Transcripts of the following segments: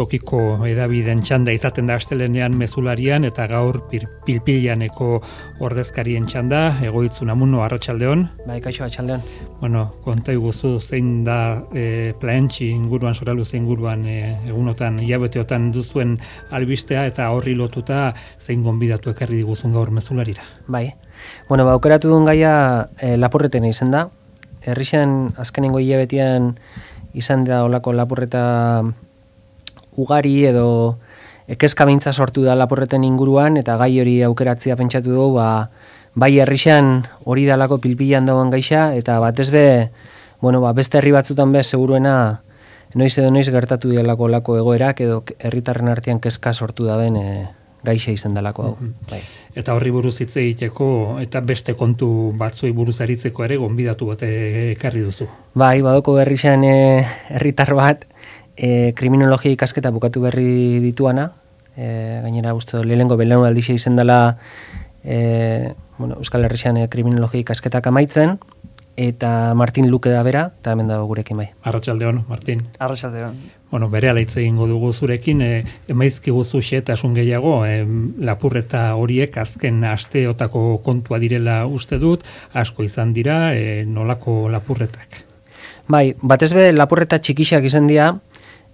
Tokiko edabideen txanda izaten da astelenean mezularian eta gaur pilpilaneko ordezkarien txanda, Egoitzu Namuno, arratsaldeon. Bai, kaixo, arratsaldeon. Bueno, konta iguzu zein da Plaentxi inguruan, Soraluze inguruan egunotan, hilabeteotan duzuen albistea eta horri lotuta zein gonbidatu ekarri diguzun gaur mezularira. Bai, bueno, aukeratu duen gaia lapurretena izan da. Herrixan azkenengo hilabetean izan da olako lapurreta ugari edo kezka beintza sortu da lapurreten inguruan eta gai hori aukeratzea pentsatu dugu, bai herrixan hori dalako pilpilan dagoen gaixa eta batez be, bueno, beste herri batzutan be seguruena noiz edo noiz gertatu dielako lako egoerak edo herritarren artean kezka sortu daben gaixa izan dalako hau. Bai. Eta horri buruz hitz egiteko eta beste kontu batzuei buruz aritzeko ere gonbidatu bat ekarri duzu. Bai, badoko herrixan herritar bat kriminologia ikasketa bukatu berri dituana, gainera uste lehenengo belaunaldixe izan dela Euskal Herrian kriminologia ikasketak amaitzen, eta Martin Luke da bera, eta hemen dago gurekin bai. Arratsaldeon, Martin. Arratsaldeon. Bueno, berehala hitz egingo dugu zurekin, emaizkiguzu xehetasun gehiago, lapurreta horiek azken asteotako kontua direla uste dut, asko izan dira, nolako lapurretak? Bai, batez be lapurreta txikixak izan dira,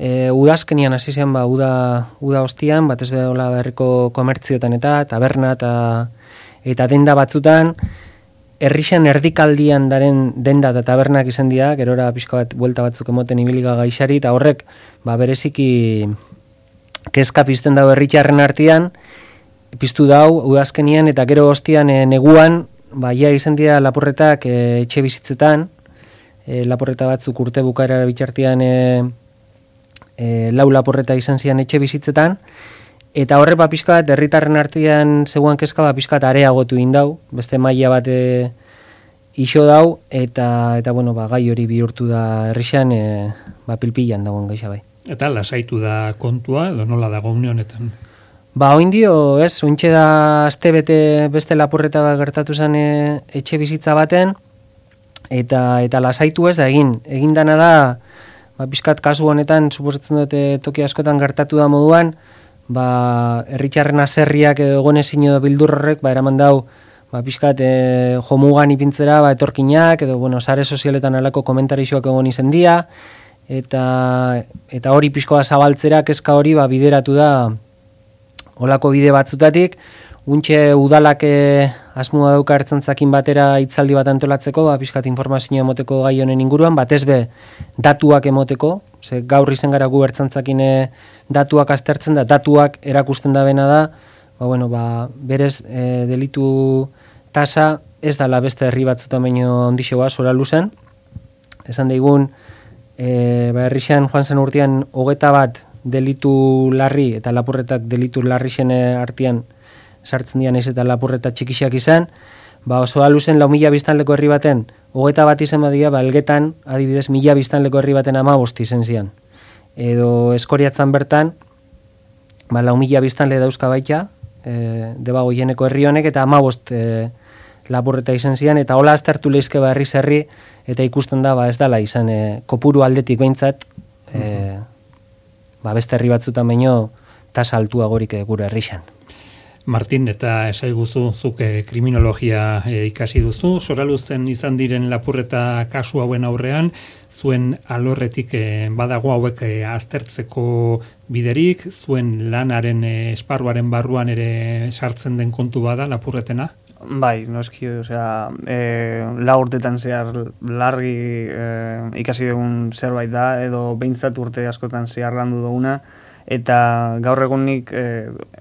udazkenian hasi zen uda ostian, batez be hola berriko komertzioetan eta taberna eta denda batzutan, herrixan erdikaldian daren denda eta tabernak izan dira, gerora pixka bat buelta batzuk emoten ibiliga gaixari, eta horrek bereziki kezka pizten dago herritarren artean, piztu dau udazkenian eta gero ostian neguan, ja izan dira lapurretak etxe bizitzetan, lapurreta batzuk urte bukaera bitxartean lau lapurreta izan zian etxe bizitzetan, eta horre pixka bat herritarren artean zegoen kezka pixka bat areagotu indau, beste maila bat iso dau, eta bueno, gai hori bihurtu da herrixan pilpilan dagoen gaixa bai. Eta lasaitu da kontua, edo nola dago une honetan? Oindio, ointxe da astebete beste lapurreta bat gertatu zen etxe bizitza baten, eta lasaitu ez da egin dana da, pixkat kasu honetan, suposatzen dute toki askotan gertatu da moduan, herritxarren aserriak edo egonezin edo bildur horrek, eraman dau, pixkat jomugan ipintzera, etorkinak, edo, sare sozialetan alako komentarixoak egon izen dia, eta hori pixkoa zabaltzera, kezka hori bideratu da olako bide batzutatik, untxe udalak asmoa dauka ertzantzakin batera hitzaldi bat antolatzeko, pixkat informazioa emoteko gai honen inguruan, batez be datuak emoteko, ze gaur izen gara gu ertzantzakin datuak aztertzen da, datuak erakusten da bena da, berez delitu tasa ez dala beste herri batzutan baino ondixoa, Soraluzen, esan daigun, herrixan joan zen urtean 21 delitu larri eta lapurretak delitu larri zen artean sartzen dian ez eta lapurreta txikixak izan, Soraluzen 4.000 biztanleko herri baten 21 izan badia, Elgetan adibidez 1.000 biztanleko herri baten 15 izen zian. Edo Eskoriatzan bertan 4.000 biztanle dauzka baita, debago jeneko herri honek, eta 15 lapurreta izan zian, eta hola aztertu lehizke herriz herri, eta ikusten da ez dala izan kopuru aldetik behintzat, beste herri batzutan baino tasa altuagorik gure herrixan. Martin, eta esaiguzu zuk kriminologia ikasi duzu, Soraluzen izan diren lapurreta kasu hauen aurrean, zuen alorretik badago hauek aztertzeko biderik, zuen lanaren esparruaren barruan ere sartzen den kontu bada lapurretena? Bai, noski, lau urtetan zehar largi ikasi dugun zerbait da, edo behintzat urte askotan zehar landu duguna, eta gaur egunik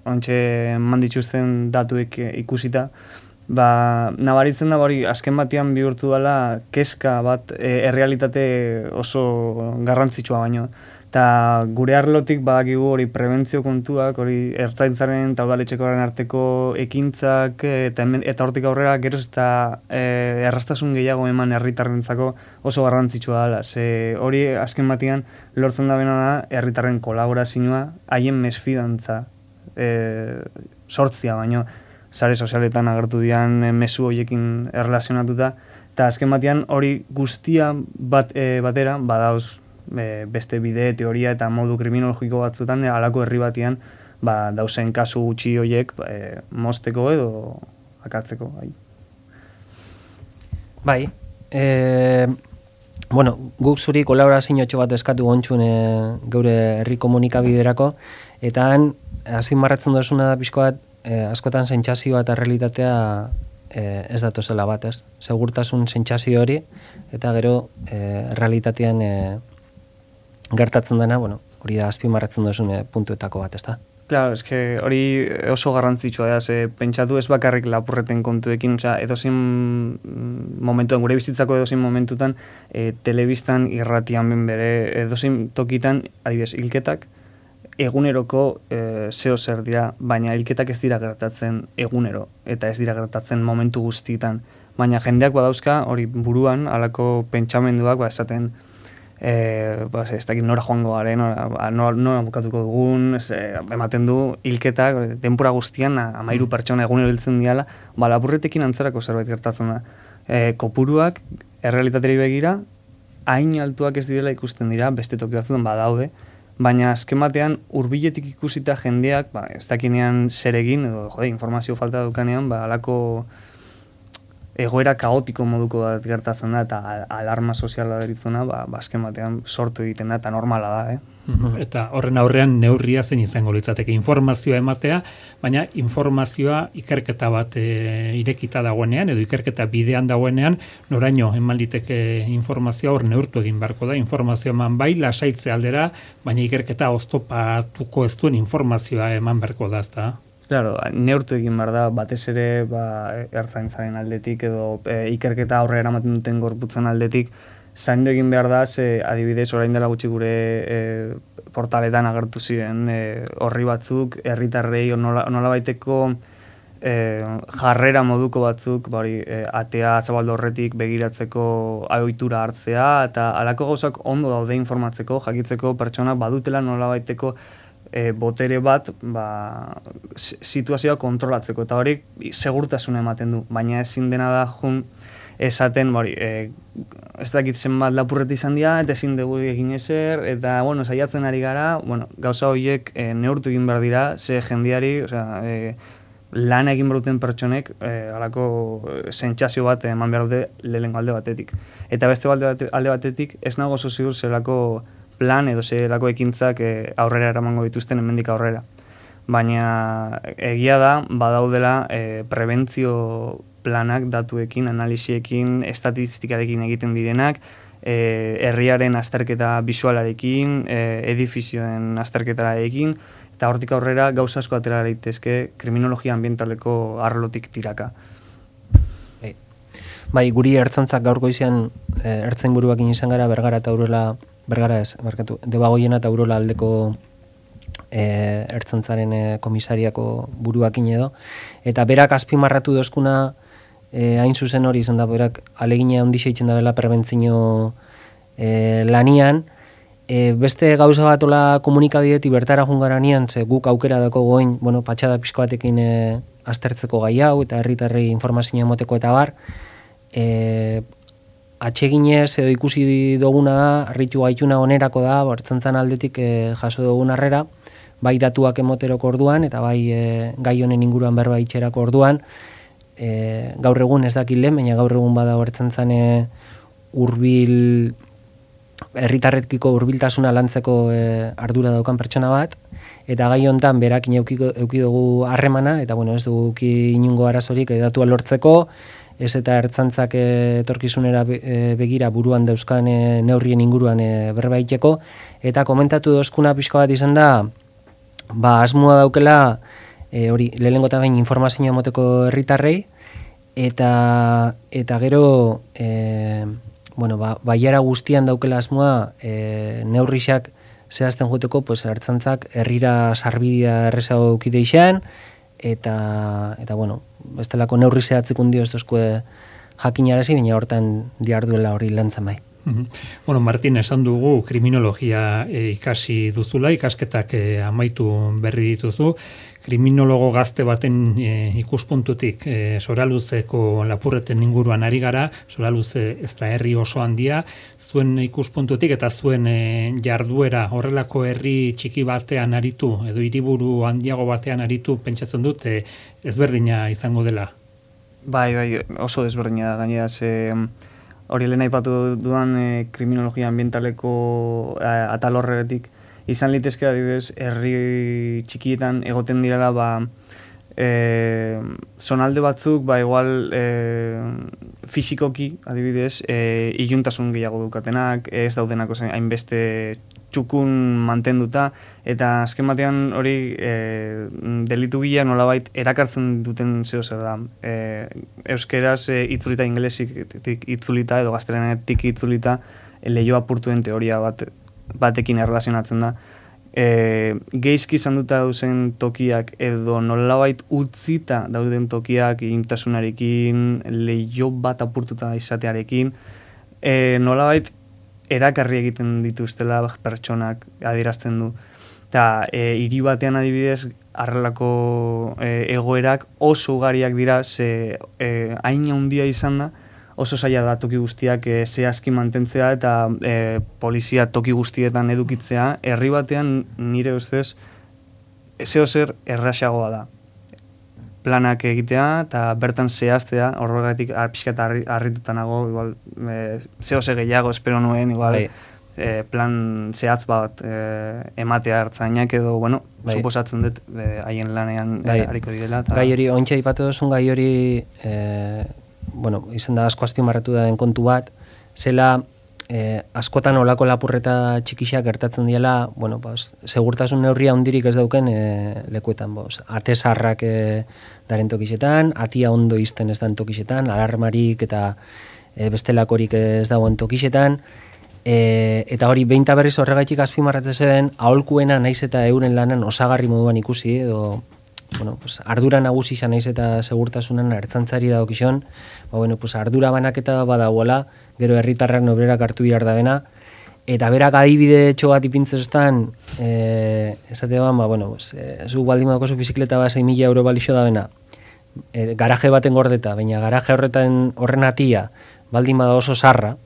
ontxe mandituzten datuek ikusita, nabaritzen da hori azken batean bihurtu dela kezka bat errealitate oso garrantzitsua baino. Eta gure arlotik badakigu hori prebentzio kontuak, hori ertzaintzaren eta udaletxekoaren arteko ekintzak eta hortik aurrera geroz eta erraztasun gehiago eman herritarrentzako oso garrantzitsua dela. Hori azken batean lortzen da bena da herritarren kolaborazioa, haien mesfidantza sortzia baino sare sozialetan agertu dian mezu horiekin erlazionatuta, eta azken batean hori guztia batera badauz beste bide, teoria eta modu kriminologiko batzutan, halako herri batian, dauzen kasu gutxi horiek mozteko edo akatzeko. Bai, bueno, guk zuri kolaborazio bat eskatu gontxun geure herri komunikabiderako, eta han, azpimarratzen duzuna da pixko bat, askotan sentsazioa eta realitatea ez datozela bat, ez? Segurtasun sentsazio hori, eta gero realitatean gertatzen dena, bueno, hori da azpimarratzen duzun puntuetako bat, ez da? Claro, hori oso garrantzitsua da, pentsatu ez bakarrik lapurreten kontuekin, edozein momentuan, gure bizitzako edozein momentutan, telebistan irratian ben bere, edozein tokitan, adibidez, hilketak, eguneroko zeo zer dira, baina hilketak ez dira gertatzen egunero, eta ez dira gertatzen momentu guztietan. Baina jendeak badauzka, hori buruan, halako pentsamenduak, esaten, ez dakit nora joango garen, nora bukatuko dugun, ematen du hilketak, denpora guztian, 13 pertsona egunero hiltzen diala, lapurretekin antzerako zerbait gertatzen da. Kopuruak, errealitateri begira, hain altuak ez direla ikusten dira, beste toki batzutan badaude, baina azken batean hurbiletik ikusita jendeak, ez dakinean zer egin, edo informazio falta dukanean, halako egoera kaotiko moduko bat gertatzen da, eta alarma soziala deritzona, azken batean sortu egiten da, eta normala da, Eta horren aurrean neurria zen izango litzateke informazioa ematea, baina informazioa ikerketa bat irekita dagoenean, edo ikerketa bidean dagoenean, noraino eman liteke informazioa hor neurtu egin beharko da, informazioa eman bai, lasaitze aldera, baina ikerketa oztopatuko ez duen informazioa eman beharko da, ezta? Claro, neurtu egin behar da, batez ere ertzaintzaren aldetik edo ikerketa aurrera eramaten duten gorputzen aldetik, zaindu egin behar da, adibidez, orain dela gutxi gure portaletan agertu ziren horri batzuk, herritarrei nolabaiteko jarrera moduko batzuk, atea zabaldu horretik begiratzeko ohitura hartzea, eta halako gauzak ondo daude informatzeko, jakitzeko pertsona badutela nolabaiteko botere bat situazioa kontrolatzeko, eta hori segurtasuna ematen du, baina ezin dena da esaten, ez dakit zenbat lapurreti izan dira, eta ezin dugu egin ezer, eta, saiatzen ari gara, gauza horiek neurtu egin behar dira, ze jendiari, lan egin beruten pertsonek, halako sentsazio bat eman behar dute lehenengo alde batetik. Eta beste alde batetik, ez nago oso ziur zelako plan edo zelako ekintzak aurrera eramango dituzten hemendik aurrera. Baina egia da, badaudela prebentzio planak datuekin, analisiekin, estatistikarekin egiten direnak, herriaren azterketa bisualarekin, edifizioen azterketarekin, eta hortik aurrera gauza asko atera daitezke kriminologia ambientaleko arlotik tiraka. Bai, guri ertzantzak gaurko izan ertzen buruakin izan gara Bergara eta Urola, Debagoiena eta Urola aldeko ertzantzaren komisariako buruakin edo, eta berak azpimarratu dozkuna hain zuzen hori izan da, berak alegina handixe itzen da bela prebentzio lanian, beste gauza bat ola komunikabidetik bertara jungaranean, ze guk aukera dako goin, patxada pixko batekin aztertzeko gai hau, eta herritarrei informazioa emoteko eta bar, atseginez edo ikusi duguna da, arritu gaituna onerako da, ertzaintzan aldetik jaso dugun harrera, bai datuak emoteroko orduan, eta bai gai honen inguruan berba itxerako orduan, gaur egun ez dakit lehen, baina gaur egun bada ertzaintzan herritarrekiko hurbiltasuna lantzeko ardura daukan pertsona bat, eta gai hontan berakin eduki dugu harremana, eta ez dugu inungo arazorik datua lortzeko, ez eta ertzantzak etorkizunera begira buruan dauzkan neurrien inguruan berbaiteko, eta komentatu dozkuna pixka bat izan da, asmoa daukela, hori, lehenengo eta behin informazioa emoteko herritarrei, eta gero, baiara guztian daukela asmoa, neurrixak zehazten juteko, ertzantzak herrira sarbidea errezago eukide izan, eta bestelako neurri zehatzik undio ez dozkue jakinarazi, baina hortan diarduela hori lantzen bai. Bueno, Martin, esan dugu kriminologia ikasi duzula, ikasketak amaitu berri dituzu. Kriminologo gazte baten ikuspuntutik Soraluzeko lapurreten inguruan ari gara, Soraluze ez da herri oso handia, zuen ikuspuntutik eta zuen jarduera horrelako herri txiki batean aritu, edo hiriburu handiago batean aritu, pentsatzen dut ezberdina izango dela. Bai, oso desberdina da, gainera, hori lehen aipatu dudan kriminologia ambientaleko atal horretik, izan litezke adibidez, herri txikietan egoten direla, zonalde batzuk, igual fisikoki, adibidez, iluntasun gehiago dukatenak, ez daudenako hainbeste txukun mantenduta, eta azken batean hori delitu gila nolabait erakartzen duten zeo zer da. Euskeraz itzulita, ingelesik itzulita, edo gaztelenetik itzulita, lehio apurtuen teoria batekin erlazionatzen da. Geizki izan duta dauzen tokiak edo nolabait utzita dauden tokiak intasunarekin, lehio bat apurtuta izatearekin, nolabait erakarri egiten dituztela pertsonak adierazten du. Eta hiri batean adibidez, arrelako egoerak oso ugariak dira, ze hain handia izan da, oso zaila da toki guztiak zehazki mantentzea eta polizia toki guztietan edukitzea, herri batean nire ustez zeo zer erraxagoa da. Planak egitea eta bertan zehaztea, horregatik pixka eta harritutanago, igual, zeo ze gehiago espero nuen, igual, plan zehatz bat ematea hartzainak edo, bueno, suposatzen dut haien lanean hariko direla. Gai hori, ointxe ipatu duzun gai hori, bueno, izan da asko azpimarratu da den kontu bat, zela askotan olako lapurreta txikisak gertatzen diela, bueno, segurtasun neurria hundirik ez dauken lekuetan, ate zarrak daren tokisetan, atia ondo izten ez dan tokisetan, alarmarik eta bestelakorik ez dagoen tokisetan, eta hori behinta berriz horregaitik azpimarratzen zen, aholkuena naiz eta euren lanan osagarri moduan ikusi, edo bueno, ardura nagusi izan naiz eta segurtasunan ertzantzari dagokizon, ardura banaketa badagoela, gero herritarrak nobrerak hartu behar da bena, eta berak adibide txo bat ipintzestan, esatean, zu baldin badako zu bizikleta bat 6.000 euro balixo da bena, garaje baten gordeta, baina garaje horren atia baldin bada oso sarra,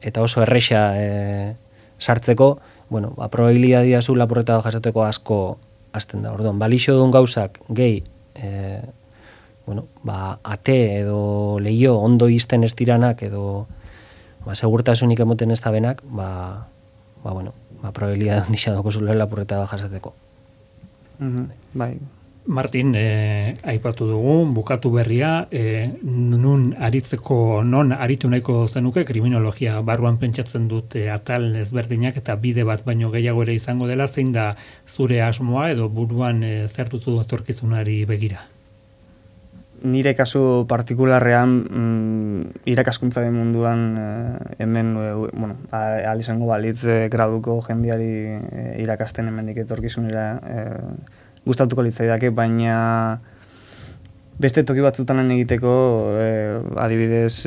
eta oso erresa sartzeko, probabilidadia zu lapurreta jasateko asko azten da. Orduan, balixo duen gauzak gehi, ate edo lehio ondo izten ez diranak edo segurtasunik emoten ez da benak, probabilidad nisa doko zule lapurreta jasateko. Bai. Martin, aipatu dugu, bukatu berria, non aritu nahiko zenuke, kriminologia barruan pentsatzen dut atal ezberdinak eta bide bat baino gehiago ere izango dela, zein da zure asmoa edo buruan zertuzu etorkizunari begira? Nire kasu partikularrean irakaskuntzaren munduan hemen, ahal izango balitz graduko jendiari irakasten hemendik etorkizunera gustatuko litzaidake, baina beste toki batzutan lan egiteko, adibidez,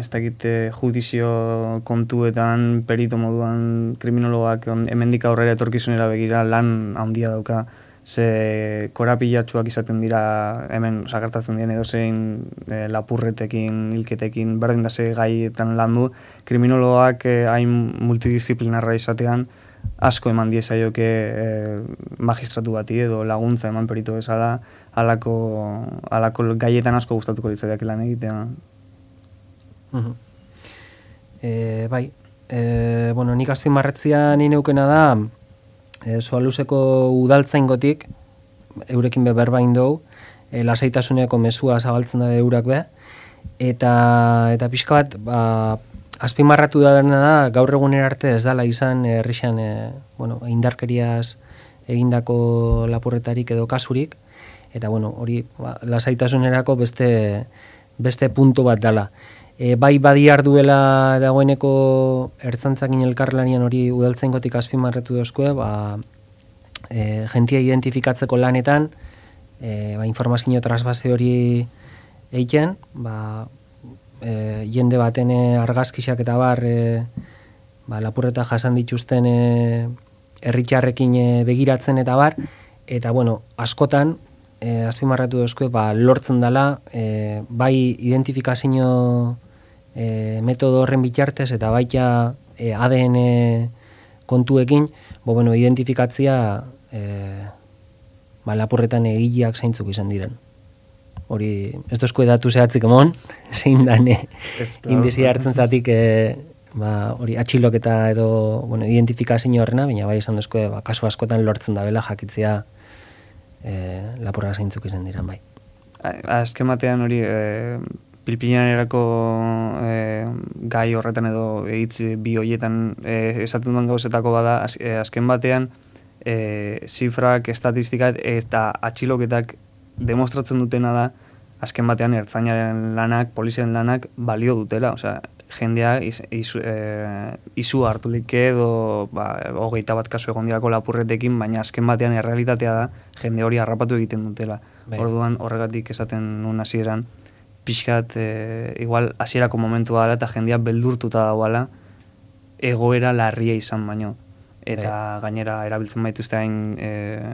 ez dakit judizio kontuetan, perito moduan, kriminologak hemendik aurrera etorkizunera begira lan handia dauka, ze korapilatsuak izaten dira hemen sakartatzen diren edozein lapurretekin, hilketekin, berdin da ze gaietan landu, kriminologak hain multidisciplinarra izatean, asko eman diezaioke magistratu bati edo laguntza eman perito bezala, alako gaietan asko gustatuko litzaidak lan egitea. Nik azpimarratzia ni neukena da, Soaluzeko udaltzaingotik, eurekin berbain dugu, lasaitasuneko mesua zabaltzen da eurak be, eta pixka bat, azpimarratu da berna da, gaur egunera arte ez dala izan herrixan indarkeriaz egindako lapurretarik edo kasurik, eta hori lasaitasunerako beste puntu bat dala. Bai badiar duela dagoeneko ertzantzakin elkarlanian hori udaltzaingotik azpimarratu dozkoe, jentia identifikatzeko lanetan, informazio trasbase hori egiten, jende baten argazkisak eta bar, lapurreta jasan dituzten herritarrekin begiratzen eta bar, eta bueno, askotan, azpimarratu dozkue, lortzen dela, bai identifikazio metodo horren bitartez, eta baita ADN kontuekin, identifikatzia lapurretan egileak zeintzuk izan diren. Hori, ez dozkue datu zehatzik emon, zein dan indizia hartzen zatik hori atxiloketa edo identifikazio horrena, baina bai izan dozkue kasu askotan lortzen da bela jakitzea lapurra zeintzuk izan diren bai. Azken batean hori pilpilanerako gai horretan edo hitz bi horietan esaten duen gauzetako bada, azken batean zifrak, estatistikak eta atxiloketak demostratzen dutena da, azken batean ertzainaren lanak, poliziaren lanak balio dutela, osea, jendea izu hartulik edo 21 kasu egon dirako lapurretekin, baina azken batean errealitatea da, jende hori harrapatu egiten dutela. Orduan horregatik esaten nuen hasieran, pixkat, igual hasierako momentua dela eta jendea beldurtuta dagoela egoera larria izan baino. Eta gainera erabiltzen baituzte hain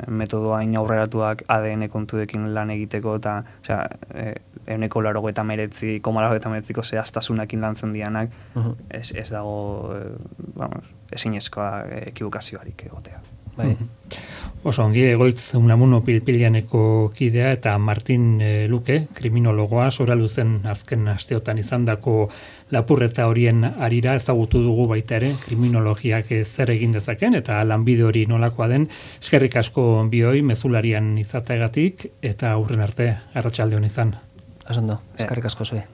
metodo hain aurreratuak ADN kontuekin lan egiteko, eta 99,99ko zehaztasunakin lantzen dianak, ez dago ezinezkoa ekibokazioarik egotea. Oso ongi, Egoitz Unamuno Pilpilaneko kidea eta Martin Luke, kriminologoa, Soraluzen azken asteotan izandako lapurreta horien arira ezagutu dugu baita ere, kriminologiak zer egin dezaken eta lanbide hori nolakoa den. Eskerrik asko bioi, mezularian izateagatik eta aurren arte arratsalde on izan. Osondo, eskerrik asko zue.